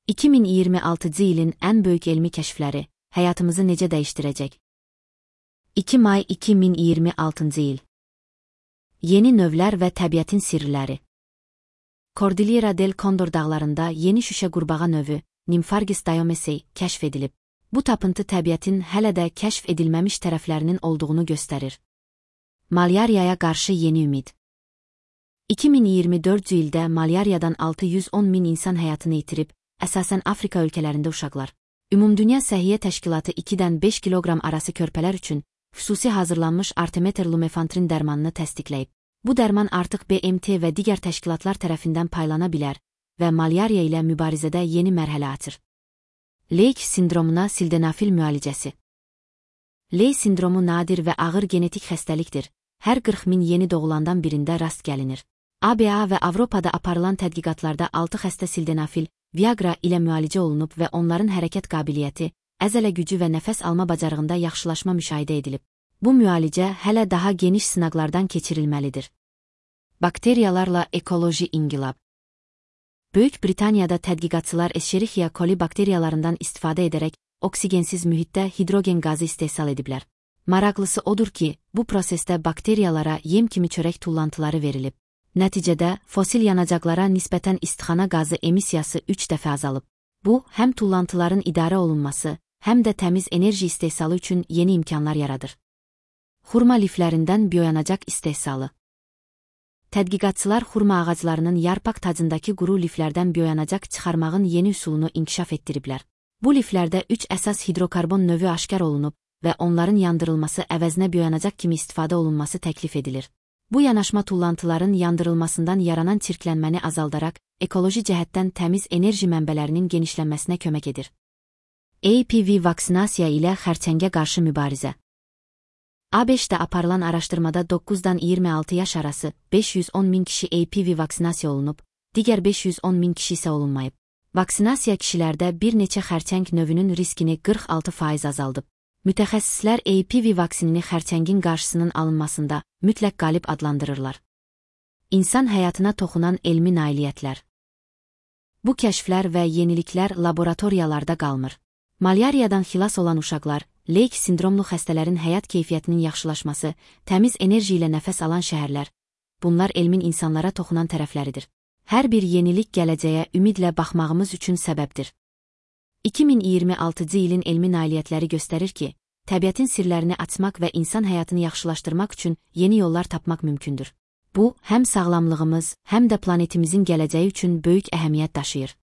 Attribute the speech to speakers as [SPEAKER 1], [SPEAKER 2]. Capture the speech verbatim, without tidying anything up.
[SPEAKER 1] iki min iyirmi altıncı ilin en büyük elmi keşfleri, hayatımızı necə değiştirecek? iki may iki min iyirmi altıncı il. Yeni növlər və təbiətin sirləri. Cordillera del Condor dağlarında yeni şüşə qurbağa növü, Nymphargis diomesei, kəşf edilib. Bu tapıntı təbiətin hələ də kəşf edilməmiş tərəflərinin olduğunu göstərir. Malyariyaya qarşı yeni ümid. iki min iyirmi dördüncü ildə malyariyadan altı yüz on min insan həyatını itirib, əsasən Afrika ölkələrində uşaqlar. Ümumdünya Səhiyyə Təşkilatı ikidən beş kiloqram arası körpələr üçün xüsusi hazırlanmış Artemether Lumefantrine dərmanını təsdiqləyib. Bu dərman artıq B M T və digər təşkilatlar tərəfindən paylana bilər və malyariya ilə mübarizədə yeni mərhələ açır. Leyk sindromuna sildenafil müalicəsi. Ley sindromu nadir və ağır genetik xəstəlikdir. Hər qırx min yeni doğulandan birində rast gəlinir. A B A və Avropada aparılan tədqiqatlarda altı xəstə sildenafil, Viagra ilə müalicə olunub və onların hərəkət qabiliyyəti, əzələ gücü və nəfəs alma bacarığında yaxşılaşma müşahidə edilib. Bu müalicə hələ daha geniş sınaqlardan keçirilməlidir. Bakteriyalarla ekoloji inqilab. Böyük Britaniyada tədqiqatçılar Escherichia coli bakteriyalarından istifadə edərək oksigensiz mühitdə hidrogen qazı istehsal ediblər. Maraqlısı odur ki, bu prosesdə bakteriyalara yem kimi çörək tullantıları verilib. Nəticədə fosil yanacaqlara nisbətən istixana qazı emissiyası üç dəfə azalıb. Bu, həm tullantıların idarə olunması, həm də təmiz enerji istehsalı üçün yeni imkanlar yaradır. Xurma liflərindən bioyanacaq istehsalı. Tədqiqatçılar xurma ağaclarının yarpaq tacındakı quru liflərdən bioyanacaq çıxarmağın yeni üsulunu inkişaf etdiriblər. Bu liflərdə üç əsas hidrokarbon növü aşkar olunub və onların yandırılması əvəzinə bioyanacaq kimi istifadə olunması təklif edilir. Bu yanaşma tullantıların yandırılmasından yaranan çirklənməni azaldaraq, ekoloji cəhətdən təmiz enerji mənbələrinin genişlənməsinə kömək edir. A P V vaksinasiya ilə xərçəngə qarşı mübarizə. A B Ş-də aparılan araşdırmada doqquzdan iyirmi altı yaş arası beş yüz on min kişi A P V vaksinasiya olunub, digər beş yüz on min kişi isə olunmayıb. Vaksinasiya kişilərdə bir neçə xərçəng növünün riskini qırx altı faiz azaldıb. Mütəxəssislər A P V vaksinini xərçəngin qarşısının alınmasında mütləq qalib adlandırırlar. İnsan həyatına toxunan elmi nailiyyətlər. Bu kəşflər və yeniliklər laboratoriyalarda qalmır. Malyariyadan xilas olan uşaqlar, leyk sindromlu xəstələrin həyat keyfiyyətinin yaxşılaşması, təmiz enerji ilə nəfəs alan şəhərlər, bunlar elmin insanlara toxunan tərəfləridir. Hər bir yenilik gələcəyə ümidlə baxmağımız üçün səbəbdir. iki min iyirmi altıncı ilin elmi nailiyyətləri göstərir ki, təbiətin sirlərini açmaq və insan həyatını yaxşılaşdırmaq üçün yeni yollar tapmaq mümkündür. Bu, həm sağlamlığımız, həm də planetimizin gələcəyi üçün böyük əhəmiyyət daşıyır.